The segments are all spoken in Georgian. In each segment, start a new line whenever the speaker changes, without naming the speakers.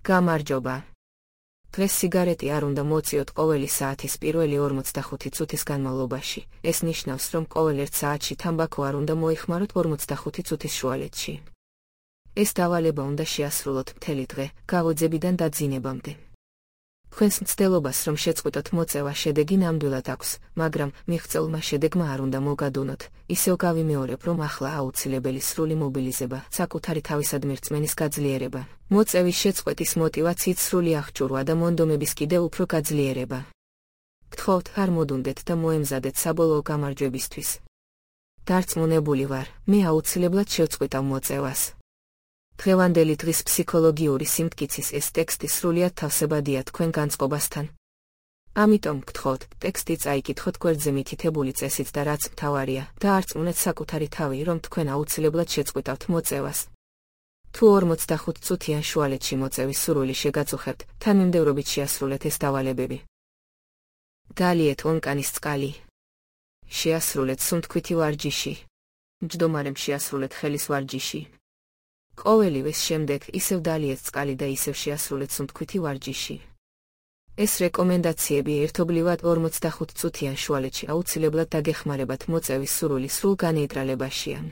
გამარჯობა. დღეს სიგარეტი არ უნდა მოწიოთ ყოველი საათის პირველი 45 წუთის განმავლობაში. ეს ნიშნავს, რომ ყოველ 1 საათში თამბაქო არ უნდა მოიხმაროთ 45 წუთის შუალედში. ეს დავალება უნდა შეასრულოთ მთელი დღე, გავოძებიდან დაძინებამდე. თქვენს მცდელობას რომ შეწყვიტოთ მოწევა შედეგი ნამდვილად აქვს, მაგრამ მიღწეულმა შედეგმა არ უნდა მოგადუნოთ. ისევ გავიმეორებ, რომ ახლა აუცილებელი სრული მობილიზება, საკუთარი თავისადმი რწმენის გაძლიერება, მოწევის შეწყვეტის მოტივაციით სრული აღჭურვა და მონდომების კიდევ უფრო გაძლიერება. გთხოვთ, არ მოდუნდეთ და მოემზადეთ საბოლოო გამარჯვებისთვის. დარწმუნებული ვარ, მე აუცილებლად შევწყვიტავ მოწევას. დღევანდელი დღის ფსიქოლოგიური სიმტკიცის ეს ტექსტი სრულიად თავსებადია თქვენ განწყობასთან. ამიტომ გთხოვთ, ტექსტი წაიკითხოთ გვერდზე მითითებული წესით და რაც მთავარია, დაარწმუნეთ საკუთარი თავი, რომ თქვენ აუცილებლად შეწყვიტავთ მოწევას. თუ 45 წუთიან შუალედში მოწევის სურვილი შეგაწუხებთ, თანმიმდევრობით შეასრულეთ ეს დავალებები. დალიეთ ონკანის წყალი. შეასრულეთ სუნთქვითი ვარჯიში. მჯდომარემ შეასრულეთ ხელის ვარჯიში. ყოველივეს შემდეგ ისევ დალიეთ წყალი და ისევ შეასრულეთ სუნთქვითი ვარჯიში. ეს რეკომენდაციები ერთობლივად 45 წუთიან შუალედში აუცილებლად დაგეხმარებათ მოწევის სურვილი სრულ განეიტრალებაშიან.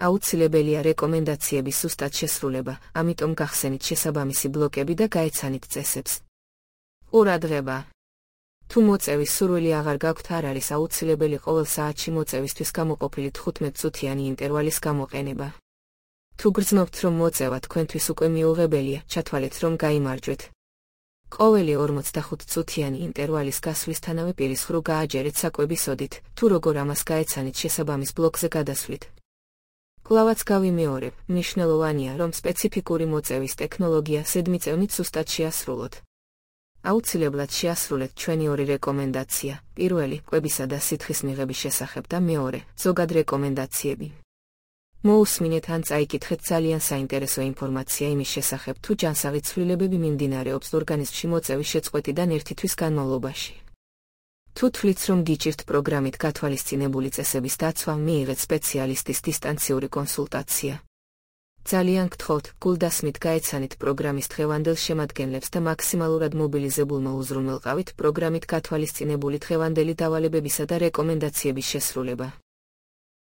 აუცილებელია რეკომენდაციების სუსტად შესრულება, ამიტომ გახსენით შესაბამისი ბლოკები და გაეცანით წესებს. ყურადღება. თუ მოწევის სურვილი აღარ გაქვთ, არ არის აუცილებელი ყოველ საათში მოწევისთვის გამოყოფილი 15 წუთიანი ინტერვალის გამოყენება. თუ გრძნობთ, რომ მოწევა თქვენთვის უკვე მიუღებელია, ჩათვალეთ, რომ გაიმარჯვეთ. ყოველი 45 წუთიანი ინტერვალის გასვლისთანავე პირის ღრუ გააჯერეთ საკვების ოდით, თუ როგორ ამას გაეცანით შესაბამის ბლოკზე გადასვლით. კვლავაც გავიმეორებ, მნიშვნელოვანია, რომ სპეციფიკური მოწევის ტექნოლოგია ზედმიწევნით სუსტად შეასრულოთ. აუცილებლად შეასრულეთ ჩვენი ორი რეკომენდაცია, პირველი, კვებისა და სითხის მიღების შესახებ და მეორე, ზოგად რეკომენდაციები. მოусმინეთ ან წაიკითხეთ ძალიან საინტერესო ინფორმაცია იმის შესახებ, თუ ჯანსაღი ცვლილებები მიმდინარეობს ორგანიზმში მოწევის შეწყვეტიდან 1 თვის განმავლობაში. თუ თვლით, რომ გიჭირთ პროგრამით გათვალისწინებული წესების დაცვა, მიიღეთ სპეციალისტის დისტანციური კონსულტაცია. ძალიან გთხოვთ, გულდასმით გაეცანით პროგრამის დღევანდელ შემადგენლებს და მაქსიმალურად მობილიზებულმა უზრუნველყავით პროგრამით გათვალისწინებული დღევანდელი დავალებებისა და რეკომენდაციების შესრულება.